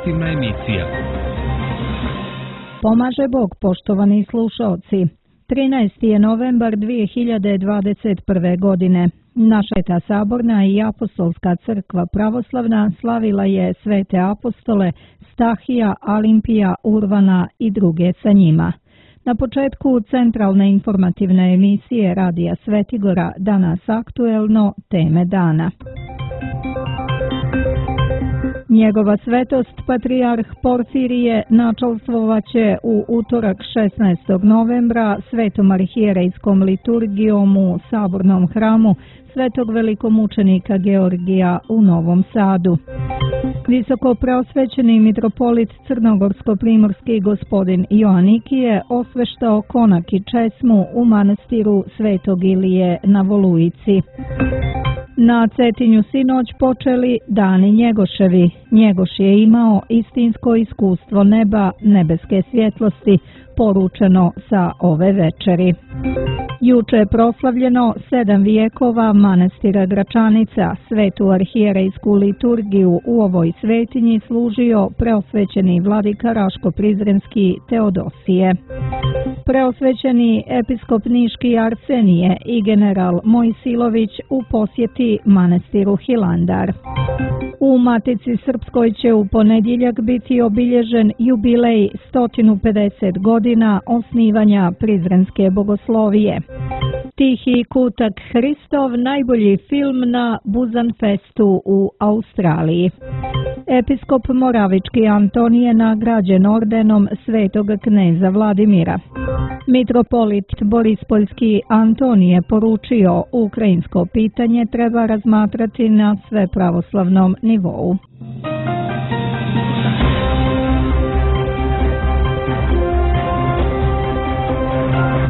informativna emisija. Pomaže Bog, poštovani slušalci. 13. je novembar 2021. godine. Naša Sveta Saborna i Apostolska crkva pravoslavna slavila je svete apostole Stahija, Alimpija, Urvana i druge sa njima. Na početku centralne informativne emisije Radija Svetigora danas aktuelno teme dana. Njegova svetost patrijarh Porfirije načelstvovaće u utorak 16. novembra svetom arhijerejskom liturgijom u Sabornom hramu svetog velikomučenika Georgija u Novom Sadu. Visoko preosvećeni mitropolit crnogorsko-primorski gospodin Joanikije osveštao konak i česmu u manastiru Svetog Ilije na Volujici. Na Cetinju sinoć počeli dani Njegoševi. Njegoš je imao istinsko iskustvo neba, nebeske svjetlosti, poručeno sa ove večeri. Juče je proslavljeno 7 vijekova manastira Gračanica. Svetu arhijerejsku liturgiju u ovoj svetinji služio preosvećeni vladika Raško-Prizrenski Teodosije. Preosvećeni episkop Niški Arsenije i general Mojsilović u posjeti manastiru Hilandar. U Matici Srpskoj će u ponedjeljak biti obilježen jubilej 150 godina osnivanja Prizrenske bogoslovije. Tihi kutak Hristov, najbolji film na Buzanfestu u Australiji. Episkop Moravički Antonije nagrađen ordenom svetog kneza Vladimira. Mitropolit Borispoljski Antonije poručio ukrajinsko pitanje treba razmatrati na svepravoslavnom nivou.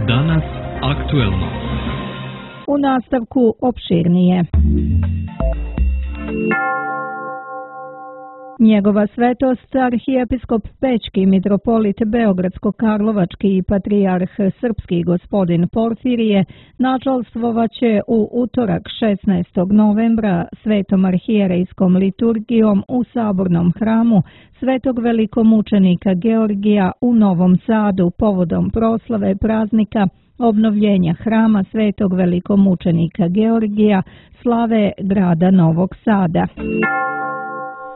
Danas aktuelno. U nastavku opširnije. Njegova svetost, arhijepiskop Pećki, mitropolit Beogradsko-Karlovački i patrijarh Srpski gospodin Porfirije načelstvovaće u utorak 16. novembra svetom arhijerejskom liturgijom u Sabornom hramu svetog velikomučenika Georgija u Novom Sadu povodom proslave praznika obnovljenja hrama svetog velikomučenika Georgija slave grada Novog Sada.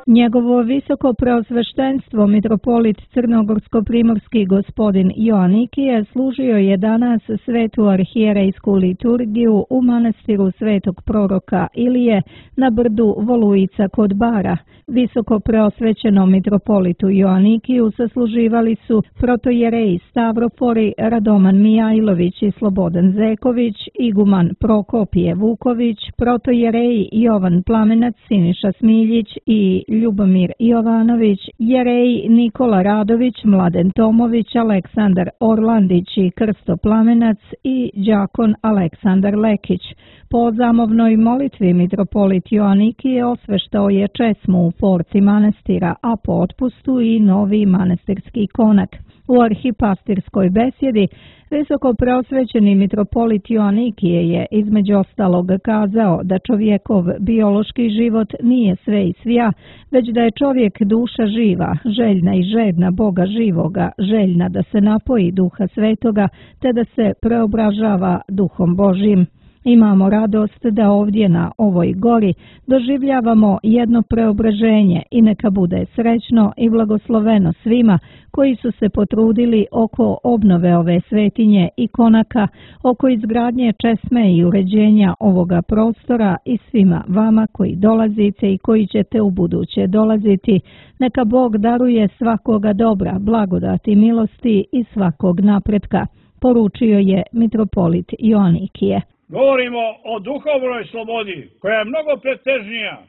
Njegovo visoko preosveštenstvo mitropolit crnogorsko-primorski gospodin Joanikije služio je danas svetu arhijerejsku liturgiju u manastiru svetog proroka Ilije na brdu Volujica kod Bara. Visoko preosvećenom mitropolitu Joanikiju sasluživali su protojereji Stavrofori, Radoman Mijajlović i Slobodan Zeković, iguman Prokopije Vuković, protojereji Jovan Plamenac, Siniša Smiljić i Ljubomir Jovanović, jereji Nikola Radović, Mladen Tomović, Aleksandar Orlandić i Krsto Plamenac i đakon Aleksandar Lekić. Po zamovnoj molitvi mitropolit Joanikije osveštao je česmu u porci manastira, a po otpustu i novi manastirski konak. U arhipastirskoj besjedi visoko preosvećeni mitropolit Joanikije je između ostalog kazao da čovjekov biološki život nije sve i svja, već da je čovjek duša živa, željna i žedna Boga živoga, željna da se napoji Duha Svetoga, te da se preobražava Duhom Božjim. Imamo radost da ovdje na ovoj gori doživljavamo jedno preobraženje i neka bude srećno i blagosloveno svima koji su se potrudili oko obnove ove svetinje i konaka, oko izgradnje česme i uređenja ovoga prostora i svima vama koji dolazite i koji ćete u buduće dolaziti. Neka Bog daruje svakoga dobra, blagodati, milosti i svakog napretka, poručio je mitropolit Joanikije. Govorimo o duhovnoj slobodi, koja je mnogo pretežnija,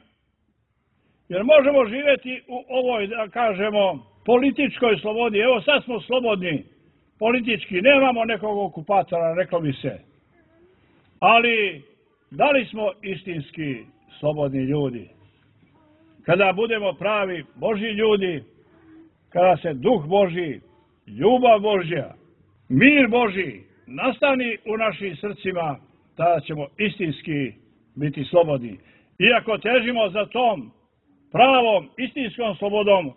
jer možemo živjeti u ovoj, da kažemo, političkoj slobodi. Evo sad smo slobodni politički, nemamo nekog okupatora, reklo bi se. Ali, da li smo istinski slobodni ljudi? Kada budemo pravi Božji ljudi, kada se Duh Božji, ljubav Božja, mir Božji nastani u našim srcima, tada ćemo istinski biti slobodni. Iako težimo za tom pravom, istinskom slobodom,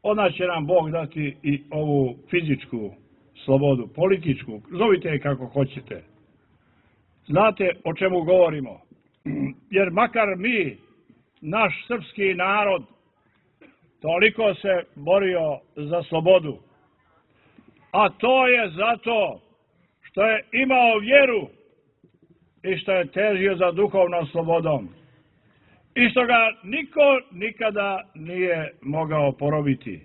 onda će nam Bog dati i ovu fizičku slobodu, političku, zovite je kako hoćete. Znate o čemu govorimo? Jer makar mi, naš srpski narod, toliko se borio za slobodu, a to je zato što je imao vjeru i što je težio za duhovnom slobodom i što ga niko nikada nije mogao porobiti.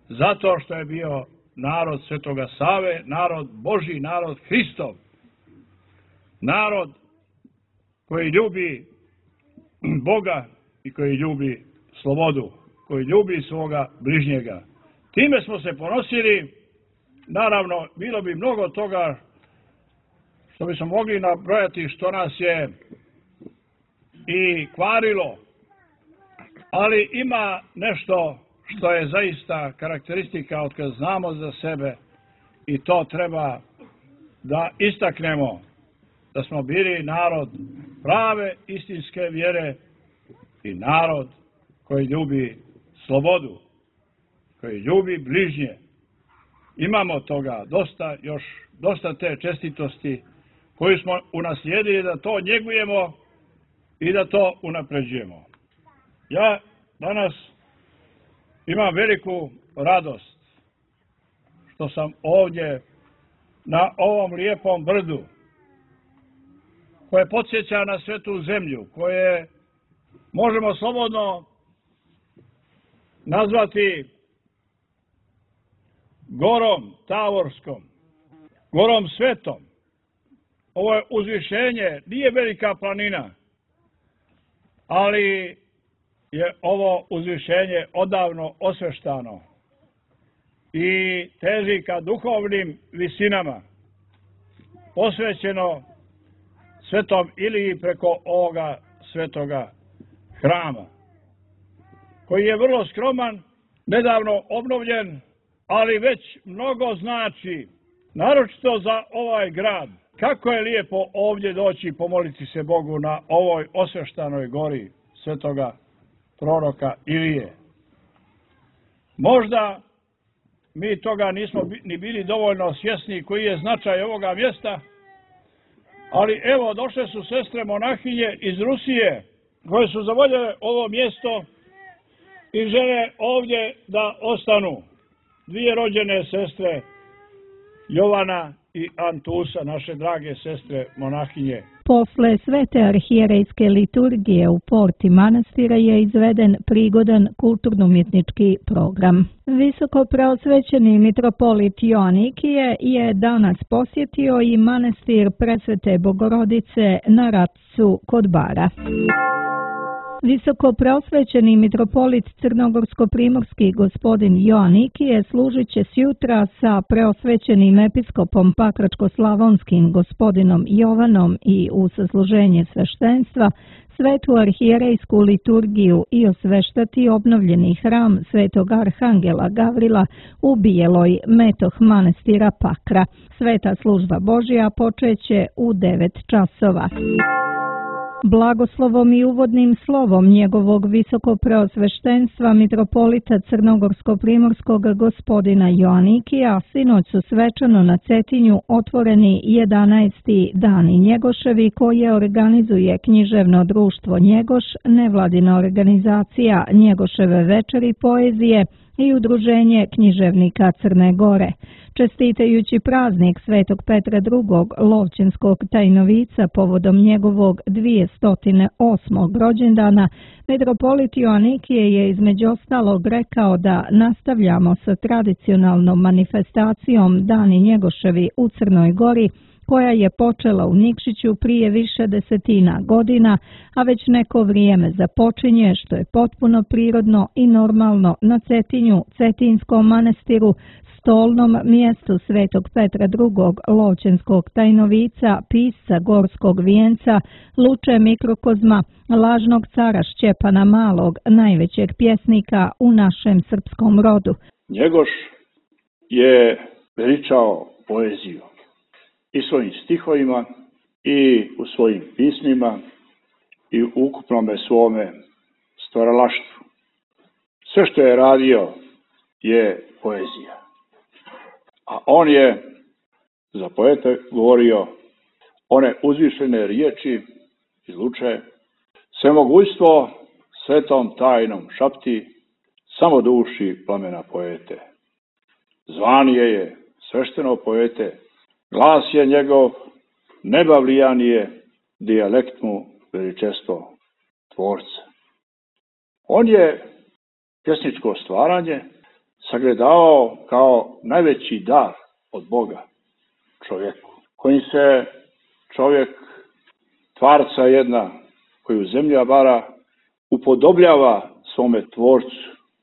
Zato što je bio narod Svetoga Save, narod Božji, narod Hristov, narod koji ljubi Boga i koji ljubi slobodu, koji ljubi svoga bližnjega. Time smo se ponosili. Naravno, bilo bi mnogo toga što bismo mogli nabrojati što nas je i kvarilo, ali ima nešto što je zaista karakteristika od kad znamo za sebe i to treba da istaknemo, da smo bili narod prave istinske vjere i narod koji ljubi slobodu, koji ljubi bližnje. Imamo toga dosta te čestitosti koju smo unaslijedili da to njegujemo i da to unapređujemo. Ja danas imam veliku radost što sam ovdje na ovom lijepom brdu koje podsjeća na svetu zemlju, koje možemo slobodno nazvati gorom Tavorskom, gorom Svetom. Ovo je uzvišenje, nije velika planina, ali je ovo uzvišenje odavno osveštano i teži ka duhovnim visinama, posvećeno Svetom Iliji preko ovoga svetoga hrama, koji je vrlo skroman, nedavno obnovljen, ali već mnogo znači, naročito za ovaj grad. Kako je lijepo ovdje doći i pomoliti se Bogu na ovoj osveštanoj gori svetoga proroka Ilije. Možda mi toga nismo ni bili dovoljno svjesni koji je značaj ovoga mjesta, ali evo došle su sestre monahinje iz Rusije koje su zavoljele ovo mjesto i žele ovdje da ostanu. Dvije rođene sestre, Jovana i Antusa, naše drage sestre monahinje. Posle svete arhijerejske liturgije u porti manastira je izveden prigodan kulturno-umjetnički program. Visoko preosvećeni mitropolit Joanikije je danas posjetio i manastir Presvete Bogorodice na Racu kod Bara. Visoko preosvećeni mitropolit Crnogorsko-primorski gospodin Joanikije služit će sjutra sa preosvećenim episkopom Pakračko-slavonskim gospodinom Jovanom i u sasluženje sveštenstva svetu arhijerejsku liturgiju i osveštati obnovljeni hram svetog arhangela Gavrila u Bijeloj, metoh manastira Pakra. Sveta služba Božja počeće u 9 časova. Blagoslovom i uvodnim slovom njegovog visokopreosveštenstva mitropolita Crnogorsko-primorskog gospodina Joanikija sinoć su svečano na Cetinju otvoreni 11. dani Njegoševi koje organizuje književno društvo Njegoš, nevladina organizacija Njegoševe večeri poezije i udruženje književnika Crne Gore. Čestitajući praznik Svetog Petra II. Lovćenskog tajnovica povodom njegovog 208. rođendana, mitropolit Joanikije je između ostalog rekao da nastavljamo sa tradicionalnom manifestacijom Dani Njegoševi u Crnoj Gori, koja je počela u Nikšiću prije više desetina godina, a već neko vrijeme započinje, što je potpuno prirodno i normalno na Cetinju, Cetinskom manastiru, stolnom mjestu Svetog Petra II. Lovćenskog tajnovica, pisca Gorskog vijenca, Luče Mikrokozma, lažnog cara Šćepana Malog, najvećeg pjesnika u našem srpskom rodu. Njegoš je veličao poeziju i svojim stihovima i u svojim pismima i u ukupnome svome stvaralaštvu. Sve što je radio je poezija. A on je za poete govorio one uzvišene riječi izluče, svemogućstvo svetom tajnom šapti, samo duši plamena poete. Zvanije je svešteno poete, glas je njegov, nebavlijan je, dijalekt mu veličestvo tvorca. On je pjesničko stvaranje sagledavao kao najveći dar od Boga čovjeku, kojim se čovjek, tvarca jedna, koju zemlja bara, upodobljava svome tvorcu,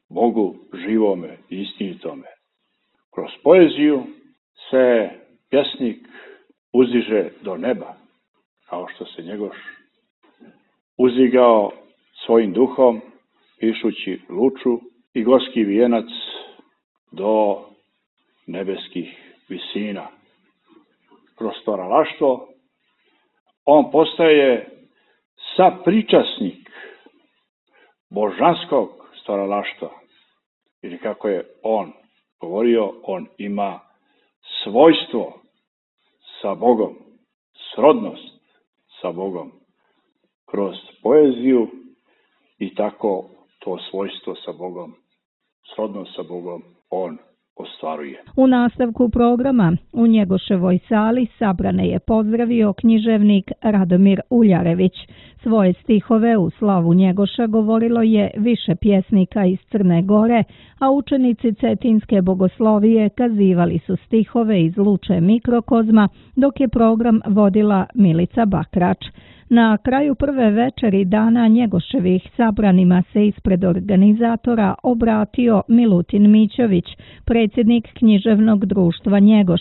Bogu živome i istinitome. Kroz poeziju se pjesnik uzdiže do neba, kao što se Njegoš uzdigao svojim duhom, pišući Luču i Gorski vijenac do nebeskih visina. Kroz stvaralaštvo on postaje sapričasnik božanskog stvaralaštva. Ili kako je on govorio, on ima svojstvo sa Bogom, srodnost sa Bogom kroz poeziju i tako to svojstvo sa Bogom, srodnost sa Bogom on ostvaruje. U nastavku programa u Njegoševoj sali sabrane je pozdravio književnik Radomir Uljarević. Svoje stihove u slavu Njegoša govorilo je više pjesnika iz Crne Gore, a učenici Cetinske bogoslovije kazivali su stihove iz Luče Mikrokozma, dok je program vodila Milica Bakrač. Na kraju prve večeri dana Njegoševih sabranima se ispred organizatora obratio Milutin Mićović, predsjednik književnog društva Njegoš.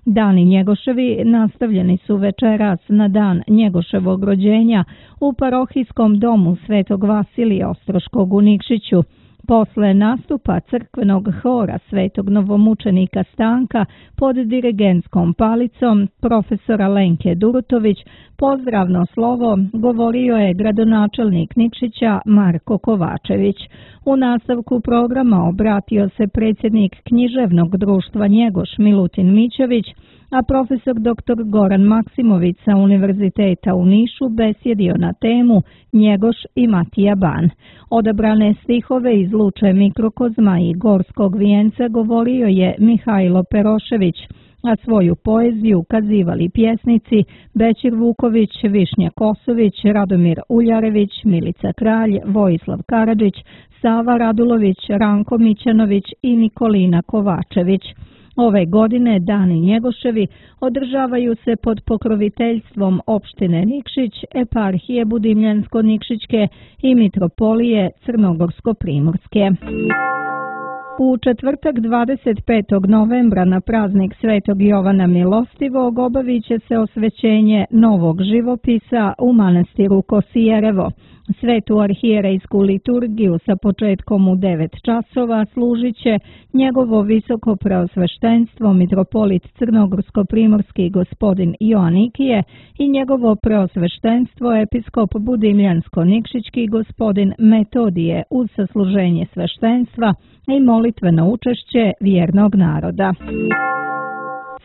Dani Njegoševi nastavljeni su večeras na dan Njegoševog rođenja u parohijskom domu Svetog Vasilija Ostroškog u Nikšiću. Posle nastupa crkvenog hora Svetog novomučenika Stanka pod dirigentskom palicom profesora Lenke Durutović, pozdravno slovo govorio je gradonačelnik Nikšića Marko Kovačević. U nastavku programa obratio se predsjednik književnog društva Njegoš Milutin Mićović, a profesor dr. Goran Maksimović sa Univerziteta u Nišu besjedio na temu Njegoš i Matija Ban. Odabrane stihove iz Luče Mikrokozma i Gorskog vijenca govorio je Mihajlo Perošević, a svoju poeziju kazivali pjesnici Bećir Vuković, Višnja Kosović, Radomir Uljarević, Milica Kralj, Vojislav Karadžić, Sava Radulović, Ranko Mićanović i Nikolina Kovačević. Ove godine dani Njegoševi održavaju se pod pokroviteljstvom opštine Nikšić, eparhije Budimljansko-Nikšićke i mitropolije Crnogorsko-Primorske. U četvrtak 25. novembra na praznik Svetog Jovana Milostivog obavit će se osvećenje novog živopisa u manastiru Kosijerevo. Svetu arhijerejsku liturgiju sa početkom u 9 časova služit će njegovo visoko preosveštenstvo mitropolit Crnogorsko-primorski gospodin Joanikije i njegovo preosveštenstvo episkop Budimljansko-nikšićki gospodin Metodije uz sasluženje sveštenstva i molitveno učešće vjernog naroda.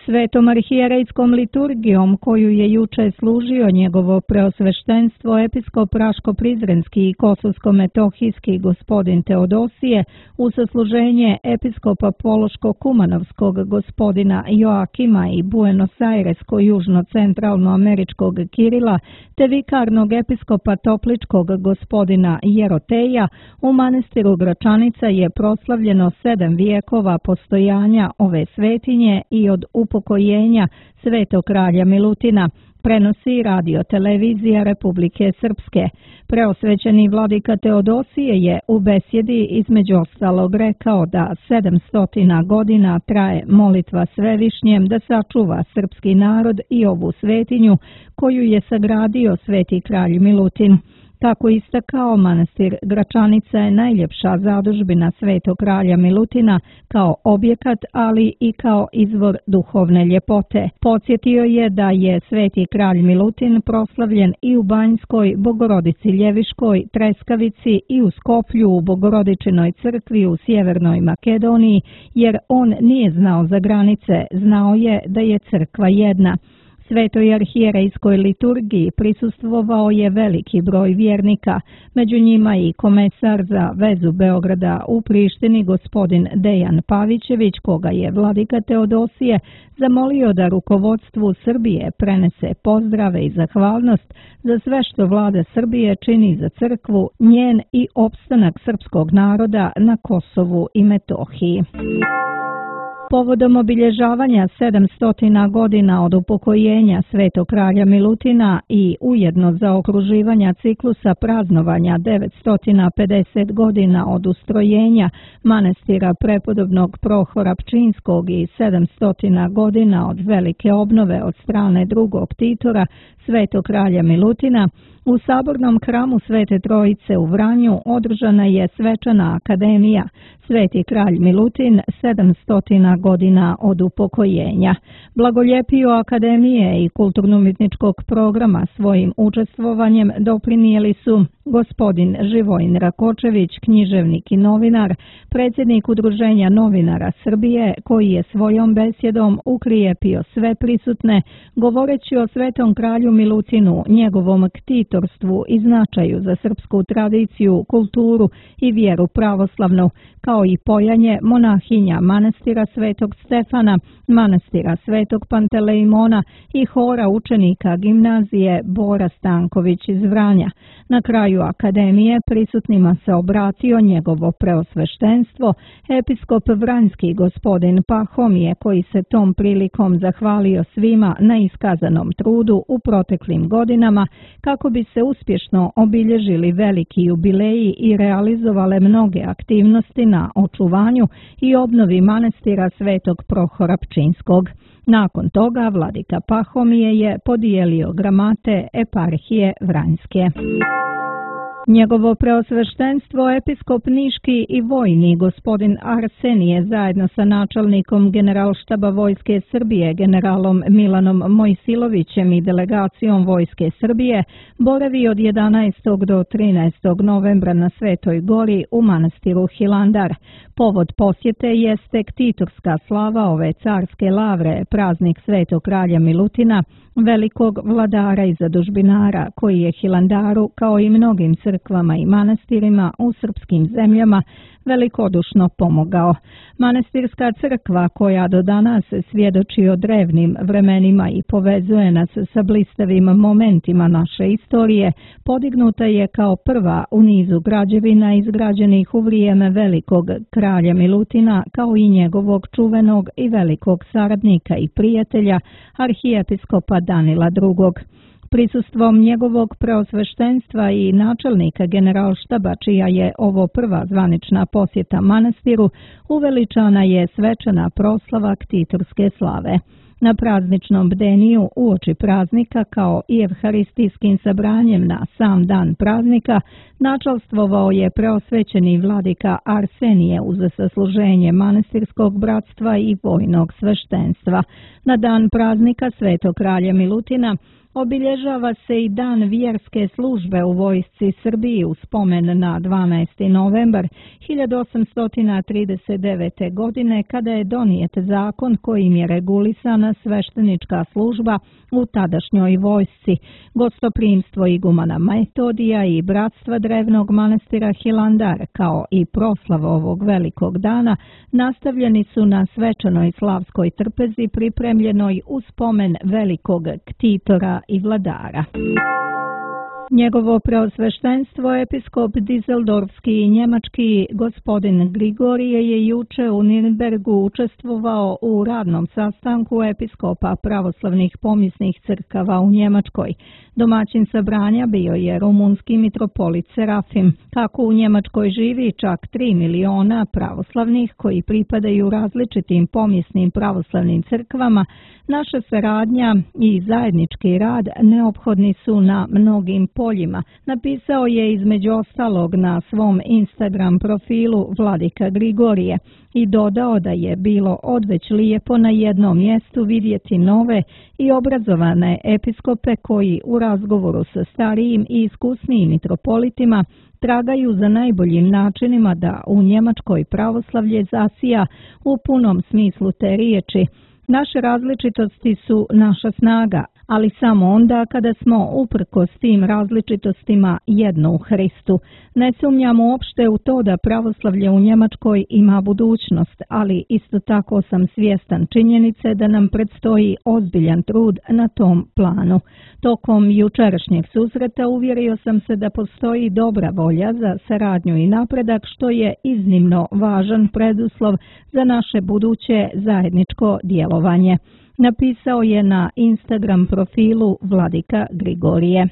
Svetom arhijerejskom liturgijom koju je juče služio njegovo preosveštenstvo episkop Raško-Prizrenski i Kosovsko-metohijski gospodin Teodosije u sasluženje episkopa Pološko-Kumanovskog gospodina Joakima i Buenos Airesko-južno-centralnoameričkog Kirila te vikarnog episkopa Topličkog gospodina Jeroteja u manastiru Gračanica je proslavljeno 7 vijekova postojanja ove svetinje i od upokojenja Svetog kralja Milutina, prenosi radio televizija Republike Srpske. Preosvećeni vladika Teodosije je u besjedi između ostalog rekao da 700 godina traje molitva Svevišnjem da sačuva srpski narod i ovu svetinju koju je sagradio sveti kralj Milutin. Kako istakao, manastir Gračanica je najljepša zadužbina Svetog kralja Milutina kao objekat, ali i kao izvor duhovne ljepote. Podsjetio je da je Sveti kralj Milutin proslavljen i u Banjskoj, Bogorodici Ljeviškoj, Treskavici i u Skoplju u Bogorodičinoj crkvi u Sjevernoj Makedoniji, jer on nije znao za granice, znao je da je crkva jedna. Svetoj arhijerejskoj liturgiji prisustvovao je veliki broj vjernika, među njima i komesar za vezu Beograda u Prištini gospodin Dejan Pavićević, koga je vladika Teodosije zamolio da rukovodstvu Srbije prenese pozdrave i zahvalnost za sve što vlada Srbije čini za crkvu, njen i opstanak srpskog naroda na Kosovu i Metohiji. Povodom obilježavanja 700 godina od upokojenja Svetog kralja Milutina i ujedno zaokruživanja ciklusa praznovanja 950 godina od ustrojenja manastira prepodobnog Prohora Pčinjskog i 700 godina od velike obnove od strane drugog Titora Svetog kralja Milutina, u sabornom hramu Svete Trojice u Vranju održana je svečana akademija Sveti kralj Milutin 700 godina od upokojenja. Blagoljepiju akademije i kulturno-umjetničkog programa svojim učestvovanjem doprinijeli su gospodin Živojin Rakočević, književnik i novinar, predsjednik Udruženja novinara Srbije, koji je svojom besjedom ukrijepio sve prisutne, govoreći o Svetom kralju Milutinu, njegovom ktitorstvu i značaju za srpsku tradiciju, kulturu i vjeru pravoslavnu, kao i pojanje monahinja manastira Svetog Stefana, manastira Svetog Pantelejmona i hora učenika gimnazije Bora Stanković iz Vranja. Na kraju akademije prisutnima se obratio njegovo preosveštenstvo, episkop Vranjski gospodin Pahomije, koji se tom prilikom zahvalio svima na iskazanom trudu u proteklim godinama kako bi se uspješno obilježili veliki jubileji i realizovale mnoge aktivnosti na očuvanju i obnovi manastira Svetog Prohora Pčinjskog. Nakon toga vladika Pahomije je podijelio gramate eparhije Vranjske. Njegovo preosveštenstvo episkop Niški i vojni gospodin Arsenije zajedno sa načelnikom Generalštaba Vojske Srbije generalom Milanom Mojsilovićem i delegacijom Vojske Srbije boravi od 11. do 13. novembra na Svetoj gori u manastiru Hilandar. Povod posjete jeste ktitorska slava ove carske lavre, praznik Svetog kralja Milutina, velikog vladara i zadužbinara, koji je Hilandaru, kao i mnogim crkvama i manastirima u srpskim zemljama, velikodušno pomogao. Manastirska crkva, koja do danas svjedoči o drevnim vremenima i povezuje nas sa blistavim momentima naše istorije, podignuta je kao prva u nizu građevina izgrađenih u vrijeme velikog kralja Milutina, kao i njegovog čuvenog i velikog saradnika i prijatelja, arhijepiskopa Danila II. Prisustvom njegovog preosveštenstva i načelnika Generalštaba, čija je ovo prva zvanična posjeta manastiru, uveličana je svečana proslava ktitorske slave. Na prazničnom bdeniju uoči praznika, kao i evharistijskim sabranjem na sam dan praznika, načalstvovao je preosvećeni vladika Arsenije uz sasluženje manastirskog bratstva i vojnog sveštenstva. Na dan praznika Svetog kralja Milutina obilježava se i dan vjerske službe u vojsci Srbiji u spomen na 12. novembar 1839. godine, kada je donijet zakon kojim je regulisana sveštenička služba u tadašnjoj vojsci. Gostoprimstvo igumana Metodija i bratstva drevnog manastira Hilandar, kao i proslava ovog velikog dana, nastavljeni su na svečanoj slavskoj trpezi pripremljenoj u spomen velikog ktitora i vladara. Njegovo preosveštenstvo episkop Dizeldorfski i njemački gospodin Grigorije je juče u Nirnbergu učestvovao u radnom sastanku episkopa pravoslavnih pomisnih crkava u Njemačkoj. Domaćin sabranja bio je rumunski mitropolit Serafim. Kako u Njemačkoj živi čak 3 miliona pravoslavnih koji pripadaju različitim pomisnim pravoslavnim crkvama, naša saradnja i zajednički rad neophodni su na mnogim poljima, napisao je između ostalog na svom Instagram profilu Vladika Grigorije i dodao da je bilo odveć lijepo na jednom mjestu vidjeti nove i obrazovane episkope koji u razgovoru sa starijim i iskusnijim mitropolitima tragaju za najboljim načinima da u Njemačkoj pravoslavlje zasija u punom smislu te riječi. Naše različitosti su naša snaga, ali samo onda kada smo uprkos tim različitostima jedno u Hristu. Ne sumnjam uopšte u to da pravoslavlje u Njemačkoj ima budućnost, ali isto tako sam svjestan činjenice da nam predstoji ozbiljan trud na tom planu. Tokom jučerašnjeg susreta uvjerio sam se da postoji dobra volja za saradnju i napredak, što je iznimno važan preduslov za naše buduće zajedničko djelovanje. Napisao je na Instagram profilu Vladika Grigorije.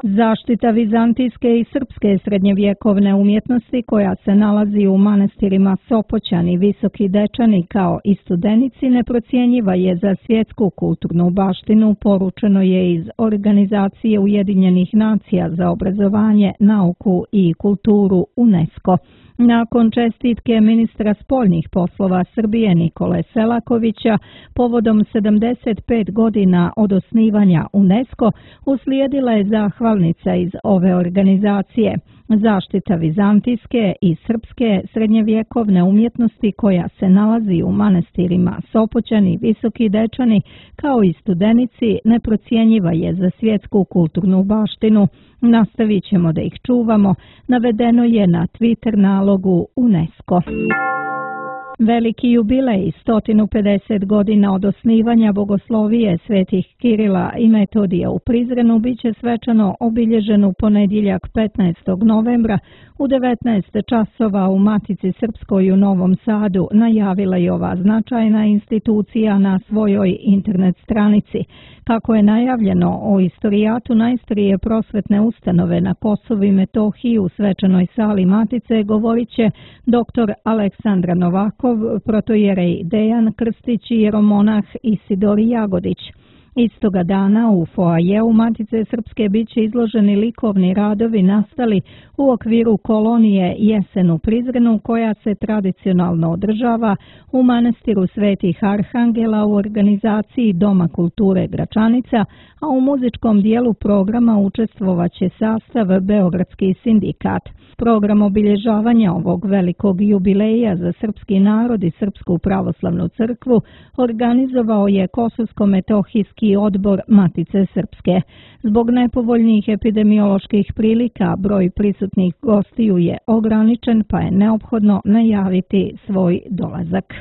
Zaštita vizantijske i srpske srednjevjekovne umjetnosti koja se nalazi u manastirima Sopoćan i Visoki Dečani kao i Studenici neprocjenjiva je za svjetsku kulturnu baštinu, poručeno je iz Organizacije Ujedinjenih nacija za obrazovanje, nauku i kulturu UNESCO. Nakon čestitke ministra spoljnih poslova Srbije Nikole Selakovića povodom 75 godina od osnivanja UNESCO uslijedila je zahvalnica iz ove organizacije. Zaštita vizantijske i srpske srednjevjekovne umjetnosti koja se nalazi u manastirima Sopoćan i Visoki Dečani kao i Studenici neprocjenjiva je za svjetsku kulturnu baštinu. Nastavit ćemo da ih čuvamo, navedeno je na Twitter nalogu UNESCO. Veliki jubilej 150 godina od osnivanja bogoslovije svetih Kirila i Metodija u Prizrenu biće svečano obilježen u ponedjeljak 15. novembra u 19 časova u Matici Srpskoj u Novom Sadu, najavila je ova značajna institucija na svojoj internet stranici. Kako je najavljeno, o istorijatu najstarije prosvetne ustanove na Kosovu i Metohiji u svečanoj sali Matice govorit će dr. Aleksandra Novakov, protojerej Dejan Krstić i jeromonah Isidor Jagodić. Istoga dana u foajeu Matice Srpske biće izloženi likovni radovi nastali u okviru kolonije Jesen u Prizrenu koja se tradicionalno održava u manastiru Svetih Arhangela u organizaciji Doma kulture Gračanica, a u muzičkom dijelu programa učestvovaće sastav Beogradski sindikat. Program obilježavanja ovog velikog jubileja za srpski narod i Srpsku pravoslavnu crkvu organizovao je Kosovsko-metohijski odbor Matice Srpske. Zbog nepovoljnih epidemioloških prilika broj prisutnih gostiju je ograničen, pa je neophodno najaviti svoj dolazak.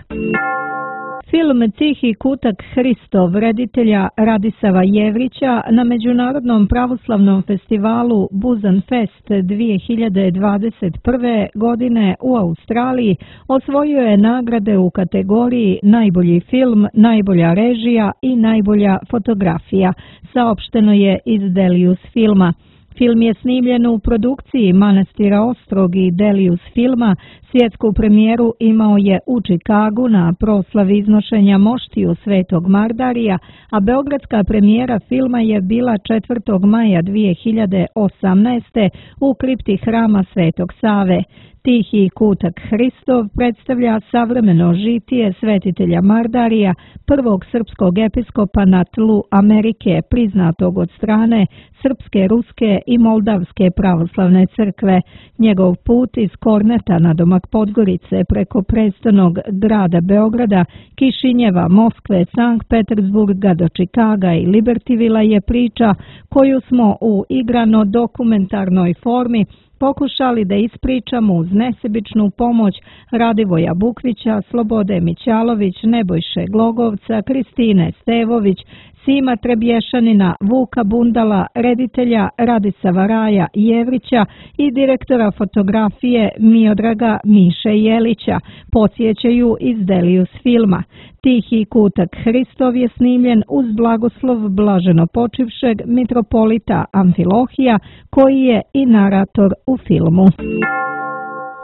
Film Tihi kutak Hristov reditelja Radisava Jevrića na Međunarodnom pravoslavnom festivalu Busan Fest 2021. godine u Australiji osvojio je nagrade u kategoriji najbolji film, najbolja režija i najbolja fotografija, saopšteno je iz Delius filma. Film je snimljen u produkciji Manastira Ostrog i Delius filma. Svjetsku premijeru imao je u Čikagu na proslavi iznošenja moštiju Svetog Mardarija, a beogradska premijera filma je bila 4. maja 2018. u kripti hrama Svetog Save. Tihi kutak Hristov predstavlja savremeno žitije svetitelja Mardarija, prvog srpskog episkopa na tlu Amerike, priznatog od strane Srpske, Ruske i Moldavske pravoslavne crkve. Njegov put iz Korneta na domak Podgorice preko prestolnog grada Beograda, Kišinjeva, Moskve, Sankt Petersburga do Čikaga i Libertyvilla je priča koju smo u igrano dokumentarnoj formi pokušali da ispričamo uz nesebičnu pomoć Radivoja Bukvića, Slobode Mićalović, Nebojše Glogovca, Kristine Stevović, Sima Trebješanina, Vuka Bundala, reditelja Radisava Raja Jevrića i direktora fotografije Miodraga Miše Jelića, podsjećaju iz Delius filma. Tihi kutak Hristov je snimljen uz blagoslov blaženo počivšeg mitropolita Amfilohija, koji je i narator u filmu.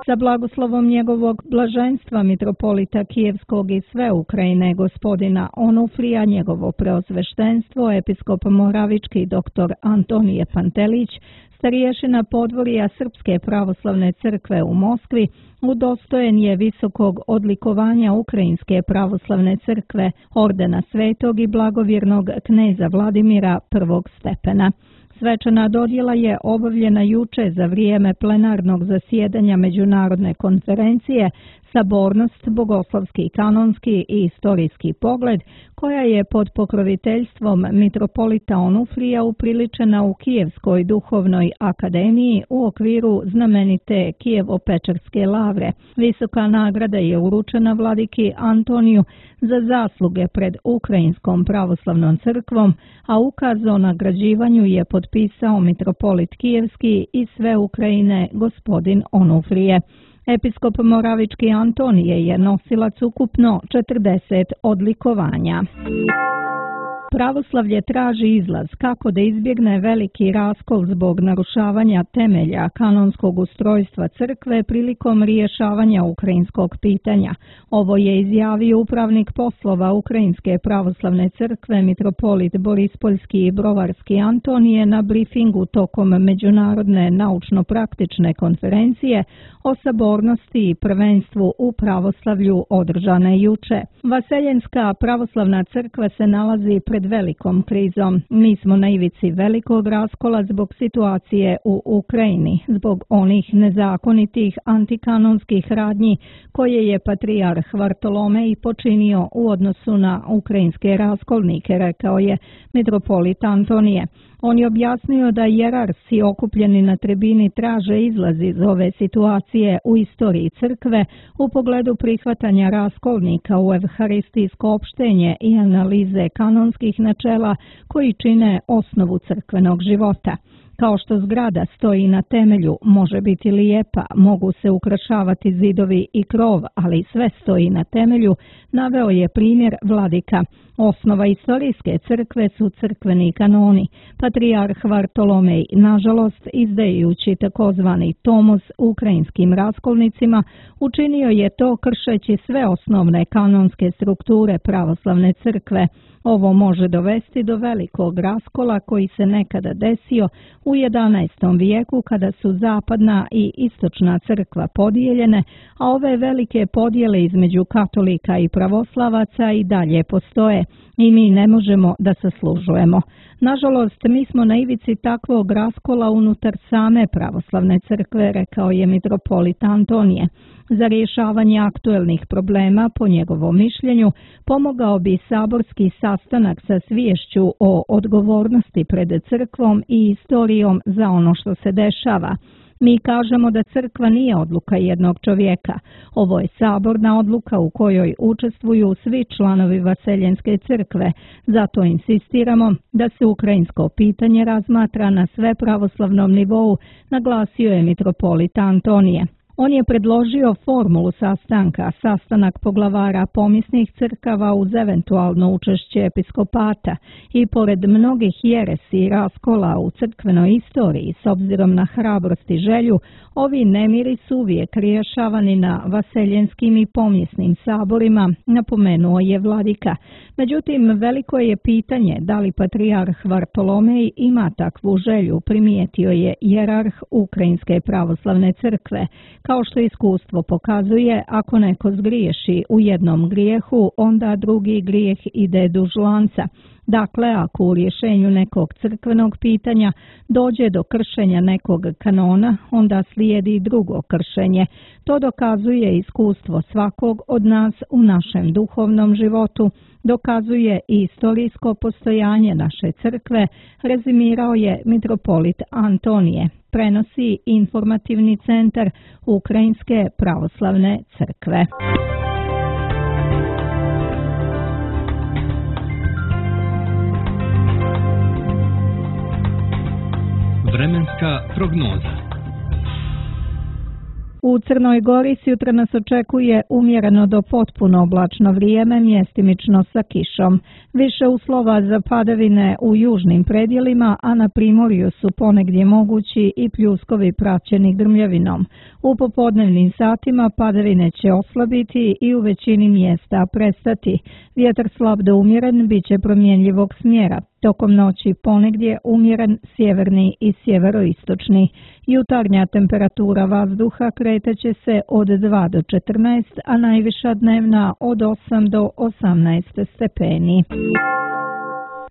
Sa blagoslovom njegovog blaženstva mitropolita Kijevskog i sve Ukrajine gospodina Onufrija, njegovo preosveštenstvo, episkop Moravički dr. Antonije Pantelić, starješina podvorija Srpske pravoslavne crkve u Moskvi, udostojen je visokog odlikovanja Ukrajinske pravoslavne crkve, ordena svetog i blagovjernog kneza Vladimira prvog stepena. Svečana dodjela je obavljena juče za vrijeme plenarnog zasjedanja Međunarodne konferencije Sabornost, bogoslovski, kanonski i istorijski pogled, koja je pod pokroviteljstvom mitropolita Onufrija upriličena u Kijevskoj duhovnoj akademiji u okviru znamenite Kijevo-Pečerske lavre. Visoka nagrada je uručena vladiki Antoniju za zasluge pred Ukrajinskom pravoslavnom crkvom, a ukaz o nagrađivanju je potpisao mitropolit Kijevski i sve Ukrajine gospodin Onufrije. Episkop Moravički Antonije je nosilac ukupno 40 odlikovanja. Pravoslavlje traži izlaz kako da izbjegne veliki raskol zbog narušavanja temelja kanonskog ustrojstva crkve prilikom rješavanja ukrajinskog pitanja. Ovo je izjavio upravnik poslova Ukrajinske pravoslavne crkve mitropolit Borispoljski i Brovarski Antonije na briefingu tokom Međunarodne naučno-praktične konferencije o sabornosti i prvenstvu u pravoslavlju održane juče. Vaseljenska pravoslavna crkva se nalazi pred velikom krizom. Mi smo na ivici velikog raskola zbog situacije u Ukrajini, zbog onih nezakonitih antikanonskih radnji koje je patrijarh Vartolomej počinio u odnosu na ukrajinske raskolnike, rekao je mitropolit Antonije. On je objasnio da jerarsi okupljeni na tribini traže izlaz iz ove situacije u istoriji crkve u pogledu prihvatanja raskolnika u evharistijsko opštenje i analize kanonskih načela koji čine osnovu crkvenog života. Kao što zgrada stoji na temelju, može biti lijepa, mogu se ukrašavati zidovi i krov, ali sve stoji na temelju, naveo je primjer vladika. Osnova istorijske crkve su crkveni kanoni. Patrijarh Vartolomej, nažalost, izdajući takozvani tomos ukrajinskim raskolnicima, učinio je to kršeći sve osnovne kanonske strukture pravoslavne crkve. Ovo može dovesti do velikog raskola koji se nekada desio u 11. vijeku kada su zapadna i istočna crkva podijeljene, a ove velike podjele između katolika i pravoslavaca i dalje postoje i mi ne možemo da zaslužujemo. Nažalost, mi smo na ivici takvog raskola unutar same pravoslavne crkve, rekao je mitropolit Antonije. Za rješavanje aktuelnih problema, po njegovom mišljenju, pomogao bi saborski sastanak sa sviješću o odgovornosti pred crkvom i istorijom za ono što se dešava. Mi kažemo da crkva nije odluka jednog čovjeka. Ovo je saborna odluka u kojoj učestvuju svi članovi Vaseljenske crkve. Zato insistiramo da se ukrajinsko pitanje razmatra na svepravoslavnom nivou, naglasio je mitropolit Antonije. On je predložio formulu sastanka, sastanak poglavara pomisnih crkava uz eventualno učešće episkopata i pored mnogih jeresi i raskola u crkvenoj istoriji, s obzirom na hrabrost i želju, ovi nemiri su uvijek rješavani na vaseljenskim i pomisnim saborima, napomenuo je vladika. Međutim, veliko je pitanje da li patrijarh Vartolomej ima takvu želju, primijetio je jerarh Ukrajinske pravoslavne crkve. Kao što iskustvo pokazuje, ako neko zgriješi u jednom grijehu, onda drugi grijeh ide duž lanca. Dakle, ako u rješenju nekog crkvenog pitanja dođe do kršenja nekog kanona, onda slijedi drugo kršenje. To dokazuje iskustvo svakog od nas u našem duhovnom životu, dokazuje i istorijsko postojanje naše crkve, rezimirao je mitropolit Antonije, prenosi informativni centar Ukrajinske pravoslavne crkve. Vremenska prognoza. U Crnoj Gori sutra nas očekuje umjereno do potpuno oblačno vrijeme, mjestimično sa kišom. Više uslova za padavine u južnim predjelima, a na primorju su ponegdje mogući i pljuskovi praćeni grmljavinom. U popodnevnim satima padavine će oslabiti i u većini mjesta prestati. Vjetar slab do umjeren bit će promjenjivog smjera. Tokom noći ponegdje umjeren sjeverni i sjeveroistočni. Jutarnja temperatura vazduha kretaće se od 2 do 14, a najviša dnevna od 8 do 18 stepeni.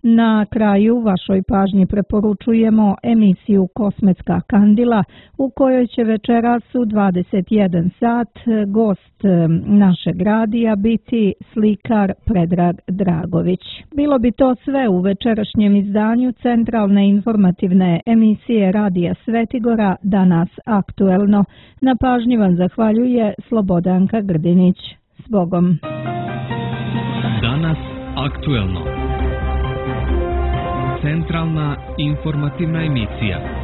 Na kraju vašoj pažnji preporučujemo emisiju Kosmetska kandila u kojoj će večeras u 21 sat gost našeg radija biti slikar Predrag Dragović. Bilo bi to sve u večerašnjem izdanju centralne informativne emisije Radija Svetigora Danas aktuelno. Na pažnji vam zahvaljuje Slobodanka Grdinić. S Bogom. Danas aktuelno. Centralna informativna emisija.